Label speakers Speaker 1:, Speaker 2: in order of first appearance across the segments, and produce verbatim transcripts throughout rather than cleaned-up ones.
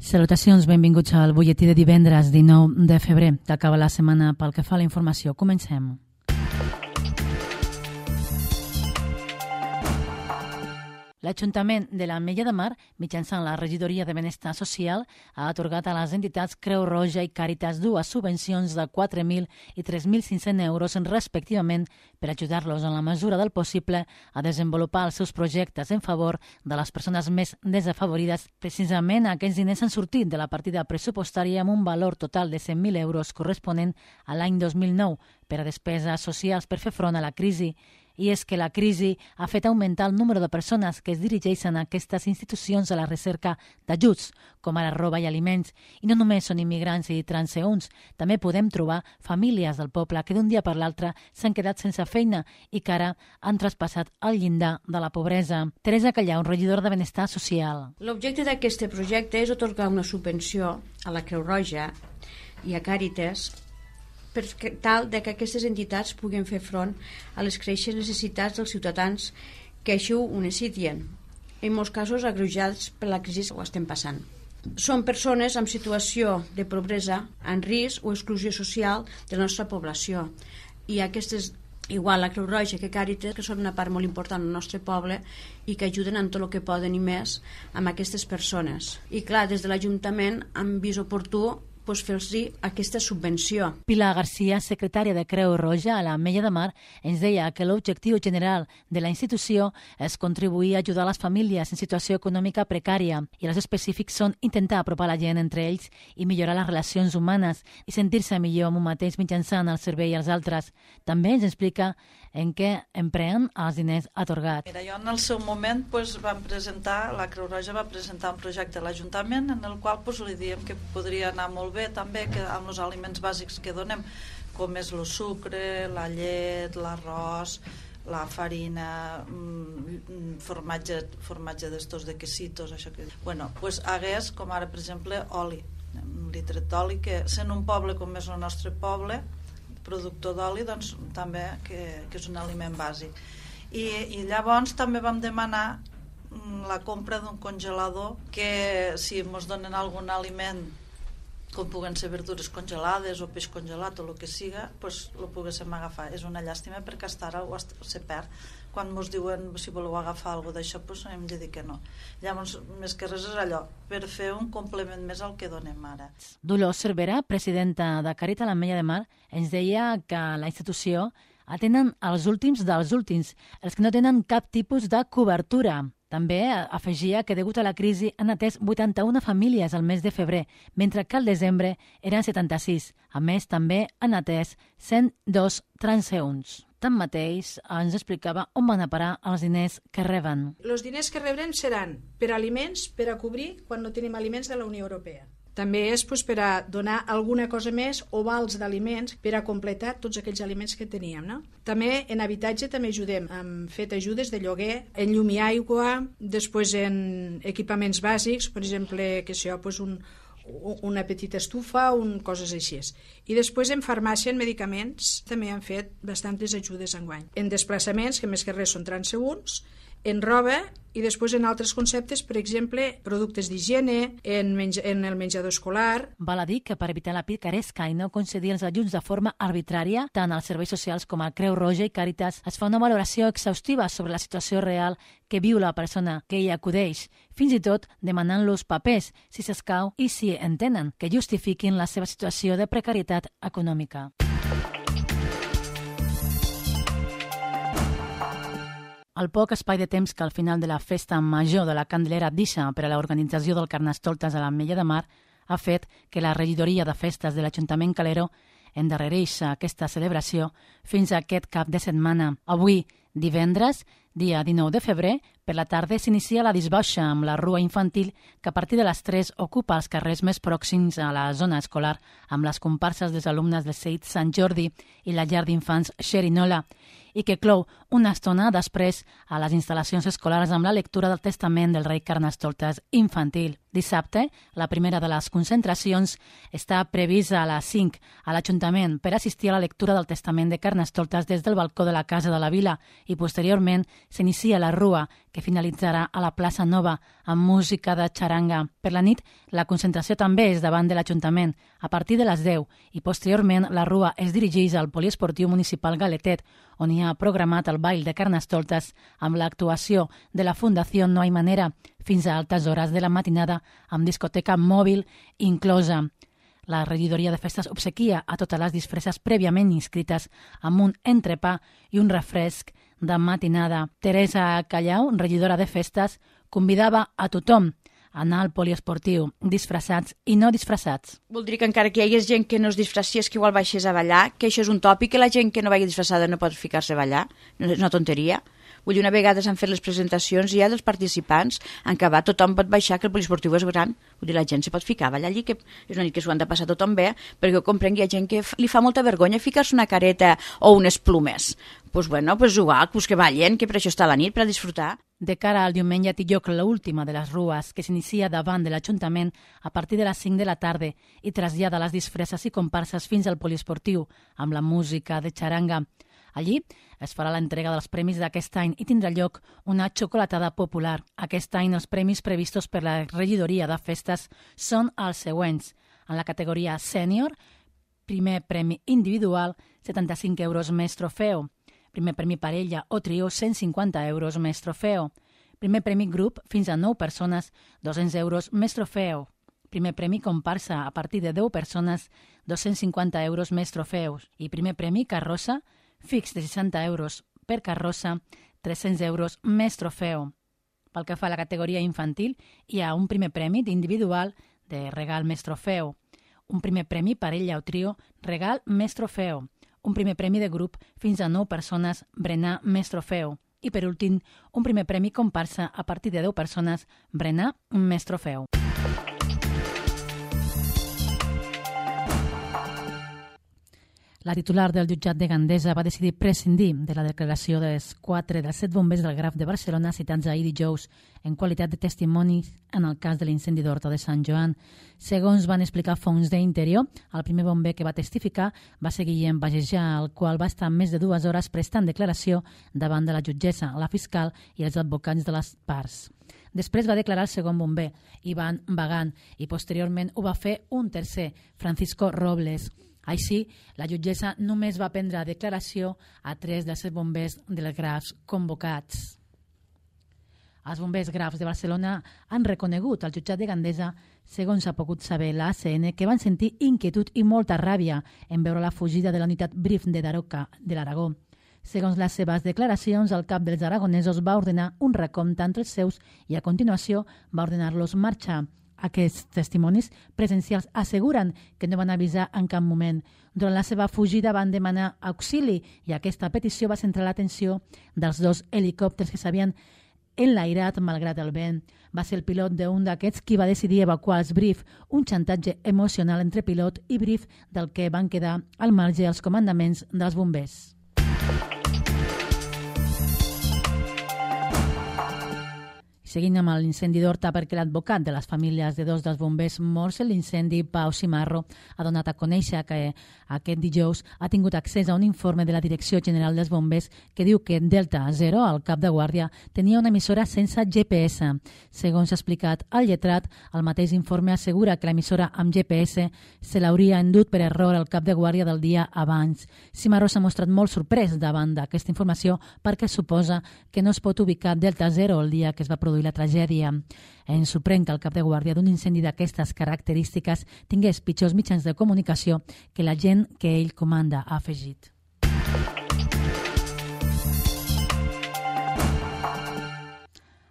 Speaker 1: Salutacions, benvinguts al butlletí de divendres dinou de febrer. T'acaba la setmana pel que fa a la informació. Comencem. L'Ajuntament de l'Ametlla de Mar, mitjançant la Regidoria de Benestar Social, ha atorgat a les entitats Creu Roja i Càritas dues subvencions de quatre mil i tres mil cinc-cents euros respectivament per ajudar-los en la mesura del possible a desenvolupar els seus projectes en favor de les persones més desafavorides. Precisament aquests diners han sortit de la partida pressupostària amb un valor total de cent mil euros corresponent a l'any dos mil nou per a despeses socials per fer front a la crisi. I és que la crisi ha fet augmentar el número de persones que es dirigeixen a aquestes institucions a la recerca d'ajuts, com ara roba i aliments. I no només són immigrants i transeünts, també podem trobar famílies del poble que d'un dia per l'altre s'han quedat sense feina i que ara han traspassat el llindar de la pobresa. Teresa Callau, regidora de Benestar Social.
Speaker 2: L'objecte d'aquest projecte és atorgar una subvenció a la Creu Roja i a Càritas per tal de que aquestes entitats puguin fer front a les creixents necessitats dels ciutadans que així ho necessiten, en molts casos agreujats per la crisi que ho estem passant. Són persones en situació de pobresa, en risc o exclusió social de la nostra població, i aquestes, igual la Creu Roja que Càritas, que són una part molt important del nostre poble i que ajuden en tot el que poden i més amb aquestes persones. I clar, des de l'Ajuntament han vist oportú pues, fer-los aquesta subvenció.
Speaker 1: Pilar Garcia, secretària de Creu Roja a l'Ametlla de Mar, ens deia que l'objectiu general de la institució és contribuir a ajudar les famílies en situació econòmica precària i els específics són intentar apropar la gent entre ells i millorar les relacions humanes i sentir-se millor amb un mateix mitjançant el servei als altres. També ens explica en què empreen els diners atorgats.
Speaker 3: Mira, jo en el seu moment pues, vam presentar, la Creu Roja va presentar un projecte a l'Ajuntament en el qual pues, li diem que podria anar molt bé també que amb els aliments bàsics que donem, com és el sucre, la llet, l'arròs, la farina, formatge, formatge d'estos de quesitos, això que... Bueno, pues hagués, com ara, per exemple, oli, un litre d'oli, que sent un poble com és el nostre poble, productor d'oli, doncs també que, que és un aliment bàsic. I, i llavors també vam demanar la compra d'un congelador que si ens donen algun aliment com puguen ser verdures congelades o peix congelat o el que siga, pues, lo poguéssim agafar. És una llàstima perquè hasta ara ho se perd. Quan ens diuen si voleu agafar alguna d'això, pues, hem de dir que no. Llavors, més que res és allò, per fer un complement més al que donem ara.
Speaker 1: Dolors Cervera, presidenta de Càritas a l'Ametlla de Mar, ens deia que la institució atenen els últims dels últims, els que no tenen cap tipus de cobertura. També afegia que degut a la crisi han atès vuitanta-una famílies al mes de febrer, mentre que al desembre eren setanta-sis. A més, també han atès cent dos transeünts. Tanmateix, ens explicava on van a parar els diners que reben.
Speaker 4: Els diners que rebrem seran per aliments, per a cobrir quan no tenim aliments de la Unió Europea. També és pues, per a donar alguna cosa més o vals d'aliments per a completar tots aquells aliments que teníem. No? També en habitatge també ajudem. Hem fet ajudes de lloguer, en llum i aigua, després en equipaments bàsics, per exemple, que això, pues, un, una petita estufa, un, coses així. I després en farmàcia, en medicaments, també han fet bastantes ajudes enguany. En desplaçaments, que més que res són transeünts, en roba i després en altres conceptes, per exemple, productes d'higiene, en, menja, en el menjador escolar.
Speaker 1: Val a dir que per evitar la picaresca i no concedir els ajuts de forma arbitrària, tant als serveis socials com a Creu Roja i Càritas es fa una valoració exhaustiva sobre la situació real que viu la persona que hi acudeix, fins i tot demanant-los papers, si s'escau, i si entenen que justifiquin la seva situació de precarietat econòmica. El poc espai de temps que al final de la festa major de la Candelera deixa per a l'organització del Carnestoltes a l'Ametlla de Mar ha fet que la regidoria de festes de l'Ajuntament Calero endarrereix aquesta celebració fins a aquest cap de setmana. Avui, divendres, dia dinou de febrer, per la tarda s'inicia la disbauxa amb la rua infantil que a partir de les tres ocupa els carrers més pròxims a la zona escolar amb les comparses dels alumnes de C I T Sant Jordi i la llar d'infants Xerinola i que clou una estona després a les instal·lacions escolars amb la lectura del testament del rei Carnestoltes infantil. Dissabte, la primera de les concentracions està prevista a les cinc a l'Ajuntament per assistir a la lectura del testament de Carnestoltes des del balcó de la Casa de la Vila i posteriorment s'inicia la rua, que finalitzarà a la plaça Nova amb música de xaranga. Per la nit, la concentració també és davant de l'Ajuntament, a partir de les deu, i posteriorment la rua es dirigeix al poliesportiu municipal Galetet, on hi ha programat el ball de Carnestoltes amb l'actuació de la Fundació No Hay Manera fins a altes hores de la matinada amb discoteca mòbil inclosa. La regidoria de festes obsequia a totes les disfresses prèviament inscrites amb un entrepà i un refresc de matinada. Teresa Callau, regidora de festes, convidava a tothom a anar al poliesportiu, disfressats i no disfressats.
Speaker 2: Voldria que encara que hi hagués gent que no es disfressies, que igual baixés a ballar, que això és un tòpic, que la gent que no vagi disfressada no pot ficar-se a ballar, no és una tonteria. Vull dir, una vegada s'han fet les presentacions ja dels participants, en què va, tothom pot baixar, que el poliesportiu és gran. Vull dir, la gent se pot ficar a ballar allí, que és una nit que s'ho han de passar tothom bé, perquè ho comprenc, hi ha gent que li fa molta vergonya ficar-se una careta o unes plumes. Doncs pues bueno, pues igual, pues que ballen, que per això està la nit, per a disfrutar.
Speaker 1: De cara al diumenge té lloc l'última de les rues, que s'inicia davant de l'Ajuntament a partir de les cinc de la tarda i trasllada les disfresses i comparses fins al poliesportiu, amb la música de xaranga. Allí es farà l'entrega dels premis d'aquest any i tindrà lloc una xocolatada popular. Aquest any els premis previstos per la regidoria de festes són els següents. En la categoria sènior, primer premi individual, setanta-cinc euros més trofeu. Primer premi parella o trio, cent cinquanta euros més trofeu. Primer premi grup, fins a nou persones, dos-cents euros més trofeu. Primer premi comparsa, a partir de deu persones, dos-cents cinquanta euros més trofeus. I primer premi carrossa, fix de seixanta euros per carrossa, tres-cents euros més trofeu. Pel que fa a la categoria infantil, hi ha un primer premi d'individual de regal més trofeu, un primer premi parella o trio, regal més trofeu, un primer premi de grup fins a nou persones, berenar més trofeu, i per últim, un primer premi comparsa a partir de deu persones, berenar més trofeu. La titular del jutjat de Gandesa va decidir prescindir de la declaració dels quatre dels set bombers del Graf de Barcelona citats ahir dijous en qualitat de testimonis en el cas de l'incendi d'Horta de Sant Joan. Segons van explicar fonts d'Interior, el primer bomber que va testificar va ser Guillem Bagejà, el qual va estar més de dues hores prestant declaració davant de la jutgessa, la fiscal i els advocats de les parts. Després va declarar el segon bomber, Ivan Bagant, i posteriorment ho va fer un tercer, Francisco Robles. Així, la jutgessa només va prendre declaració a tres dels set bombers dels Grafs convocats. Els bombers Grafs de Barcelona han reconegut al jutjat de Gandesa, segons ha pogut saber l'A C N, que van sentir inquietud i molta ràbia en veure la fugida de la unitat Brif de Daroca, de l'Aragó. Segons les seves declaracions, el cap dels aragonesos va ordenar un recompte entre els seus i a continuació va ordenar-los marxar. Aquests testimonis presencials asseguren que no van avisar en cap moment. Durant la seva fugida van demanar auxili i aquesta petició va centrar l'atenció dels dos helicòpters que s'havien enlairat malgrat el vent. Va ser el pilot d'un d'aquests qui va decidir evacuar els Brif, un xantatge emocional entre pilot i Brif del que van quedar al marge els comandaments dels bombers. Seguint amb l'incendi d'Horta, perquè l'advocat de les famílies de dos dels bombers morts en l'incendi, Pau Cimarro, ha donat a conèixer que aquest dijous ha tingut accés a un informe de la Direcció General dels Bombers que diu que Delta Zero, el cap de guàrdia, tenia una emissora sense G P S. Segons ha explicat el lletrat, el mateix informe assegura que l'emissora amb G P S se l'hauria endut per error al cap de guàrdia del dia abans. Cimarro s'ha mostrat molt sorprès davant d'aquesta informació perquè suposa que no es pot ubicar Delta Zero el dia que es va produir la tragèdia. Ens sorprèn que el cap de guàrdia d'un incendi d'aquestes característiques tingués pitjors mitjans de comunicació que la gent que ell comanda, ha afegit.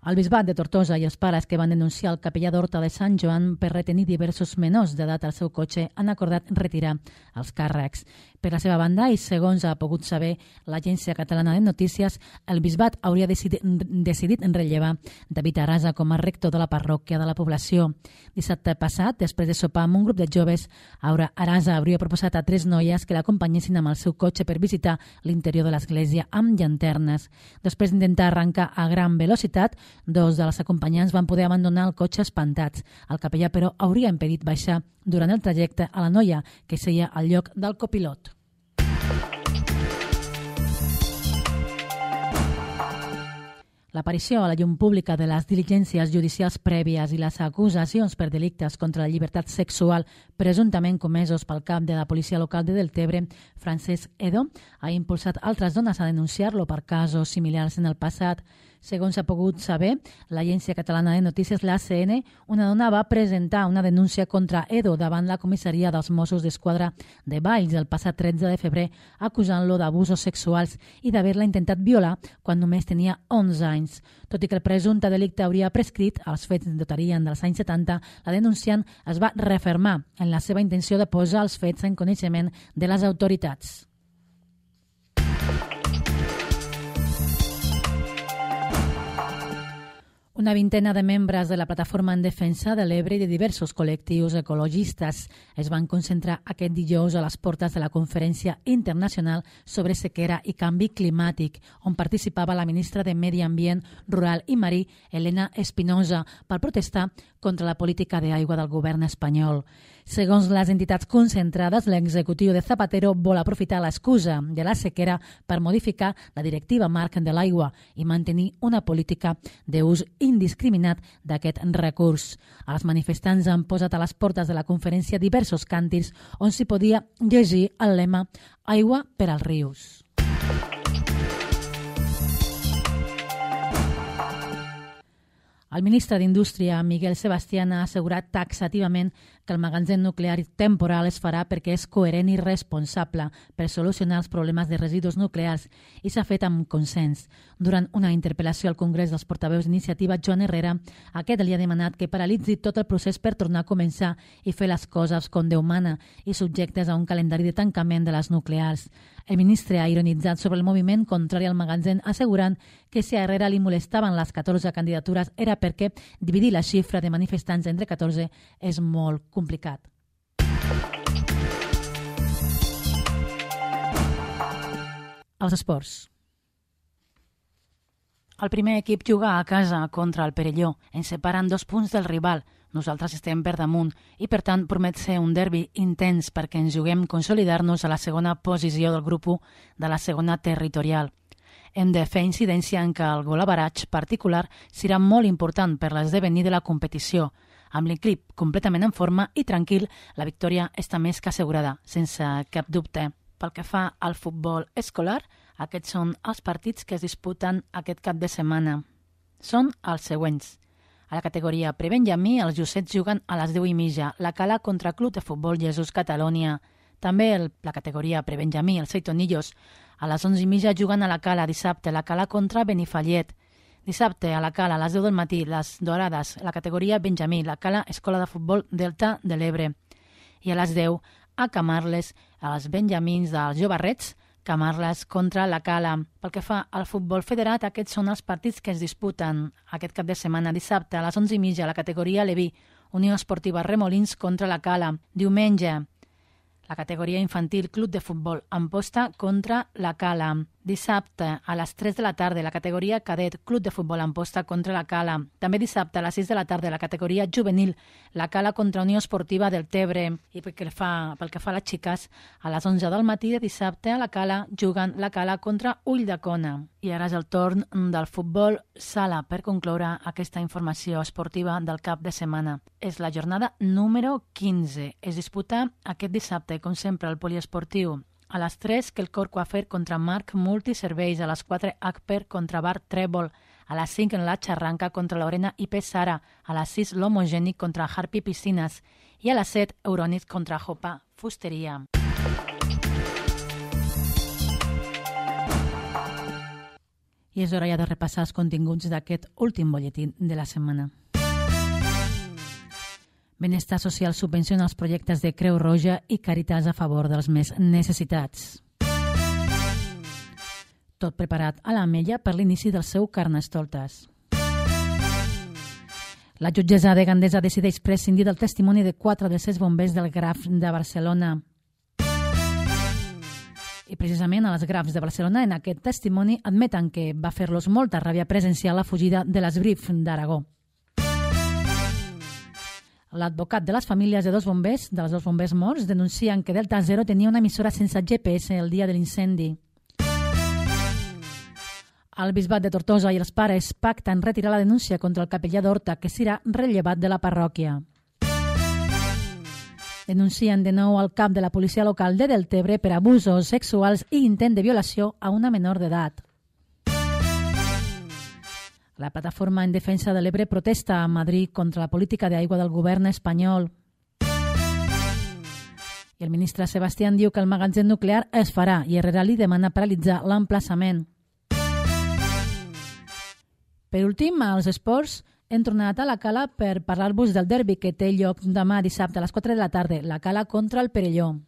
Speaker 1: El bisbat de Tortosa i els pares que van denunciar el capellà d'Horta de Sant Joan per retenir diversos menors d'edat al seu cotxe han acordat retirar els càrrecs. Per la seva banda, i segons ha pogut saber l'Agència Catalana de Notícies, el bisbat hauria decidit, decidit rellevar David Arasa com a rector de la parròquia de la població. Dissabte passat, després de sopar amb un grup de joves, Arasa hauria proposat a tres noies que l'acompanyessin amb el seu cotxe per visitar l'interior de l'església amb llanternes. Després d'intentar arrencar a gran velocitat, dos de les acompanyants van poder abandonar el cotxe espantats. El capellà, però, hauria impedit baixar durant el trajecte a la noia que seia al lloc del copilot. L'aparició a la llum pública de les diligències judicials prèvies i les acusacions per delictes contra la llibertat sexual presumptament comesos pel cap de la policia local de Deltebre, Francesc Edo, ha impulsat altres dones a denunciar-lo per casos similars en el passat. Segons s'ha pogut saber, l'Agència Catalana de Notícies, l'A C N, una dona va presentar una denúncia contra Edo davant la comissaria dels Mossos d'Esquadra de Valls el passat tretze de febrer, acusant-lo d'abusos sexuals i d'haver-la intentat violar quan només tenia onze anys. Tot i que el presumpte delicte hauria prescrit, els fets datarien dels anys setanta, la denunciant es va refermar en la seva intenció de posar els fets en coneixement de les autoritats. Una vintena de membres de la Plataforma en Defensa de l'Ebre i de diversos col·lectius ecologistes es van concentrar aquest dijous a les portes de la Conferència Internacional sobre Sequera i Canvi Climàtic, on participava la ministra de Medi Ambient, Rural i Marí, Elena Espinosa, per protestar contra la política d'aigua del govern espanyol. Segons les entitats concentrades, l'executiu de Zapatero vol aprofitar l'excusa de la sequera per modificar la directiva marc de l'aigua i mantenir una política d'ús indiscriminat d'aquest recurs. Els manifestants han posat a les portes de la conferència diversos càntirs on s'hi podia llegir el lema «Aigua per als rius». El ministre d'Indústria, Miguel Sebastián, ha assegurat taxativament que el magatzem nuclear temporal es farà perquè és coherent i responsable per solucionar els problemes de residus nuclears i s'ha fet amb consens. Durant una interpel·lació al Congrés dels Portaveus d'Iniciativa, Joan Herrera, aquest li ha demanat que paralitzi tot el procés per tornar a començar i fer les coses com Déu mana i subjectes a un calendari de tancament de les nuclears. El ministre ha ironitzat sobre el moviment contrari al magatzem, assegurant que si a Herrera li molestaven les catorze candidatures era perquè dividir la xifra de manifestants entre catorze és molt complicat. Els esports. El primer equip juga a casa contra el Perelló. Ens separen dos punts del rival. Nosaltres estem per damunt i, per tant, promet ser un derbi intens perquè ens juguem consolidar-nos a la segona posició del grup u de la segona territorial. Hem de fer incidència en que el gol average particular serà molt important per l'esdevenir de la competició. Amb l'equip completament en forma i tranquil, la victòria està més que assegurada, sense cap dubte. Pel que fa al futbol escolar, aquests són els partits que es disputen aquest cap de setmana. Són els següents. A la categoria prebenjamí, els Jossets juguen a les deu i mitja, la Cala contra Club de Futbol Jesús Catalunya. També el, la categoria prebenjamí, els Seitonillos, a les onze i mitja juguen a la Cala dissabte, la Cala contra Benifallet. Dissabte a la Cala, a les deu del matí, les Dorades, la categoria benjamí, la Cala Escola de Futbol Delta de l'Ebre. I a les deu, a Camarles, a les benjamins dels Jovarrets, Camarles contra la Cala. Pel que fa al futbol federat, aquests són els partits que es disputen aquest cap de setmana. Dissabte, a les onze i mitja, la categoria Leví, Unió Esportiva Remolins contra la Cala. Diumenge, la categoria infantil Club de Futbol Amposta contra la Cala. Dissabte, a les tres de la tarda, la categoria Cadet Club de Futbol Amposta contra la Cala. També dissabte, a les sis de la tarda, la categoria Juvenil, la Cala contra Unió Esportiva del Tebre. I pel que fa, pel que fa a les xiques, a les onze del matí de dissabte, a la Cala juguen la Cala contra Ulldecona. I ara és el torn del futbol sala per concloure aquesta informació esportiva del cap de setmana. És la jornada número quinze. Es disputa aquest dissabte, com sempre, al poliesportiu. A les tres, que el Cor Coafer contra Marc Multiserveis. A les quatre, Acper contra Bar Trèvol. A les cinc, en la Xarranca contra Lorena I P Sara. A les sis, l'Homogènic contra Harpy Piscines. I a les set, Eurònic contra Jopa Fusteria. I és hora ja de repassar els continguts d'aquest últim butlletí de la setmana. Benestar Social subvenciona els projectes de Creu Roja i Càritas a favor dels més necessitats. Tot preparat a l'Ametlla per l'inici del seu Carnestoltes. La jutgessa de Gandesa decideix prescindir del testimoni de quatre dels sis bombers del Graf de Barcelona. I precisament a les Grafs de Barcelona, en aquest testimoni, admeten que va fer-los molta ràbia presenciar la fugida de l'Esbrif d'Aragó. L'advocat de les famílies de dos bombers, dels dos bombers morts, denuncien que Delta Zero tenia una emissora sense G P S el dia de l'incendi. El bisbat de Tortosa i els pares pacten retirar la denúncia contra el capellà d'Horta, que serà rellevat de la parròquia. Denuncien de nou el cap de la policia local de Deltebre per abusos sexuals i intent de violació a una menor d'edat. La plataforma en defensa de l'Ebre protesta a Madrid contra la política d'aigua del govern espanyol. I el ministre Sebastián diu que el magatzem nuclear es farà i Herrera li demana paralitzar l'emplaçament. Per últim, als esports, hem tornat a la Cala per parlar-vos del derbi que té lloc demà dissabte a les quatre de la tarda, la Cala contra el Perelló.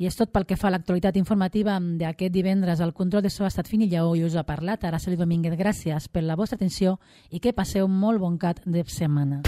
Speaker 1: I és tot pel que fa a l'actualitat informativa d'aquest divendres. El control de so ha estat Fini Lleó i us ha parlat Araceli Domínguez. Gràcies per la vostra atenció i que passeu un molt bon cap de setmana.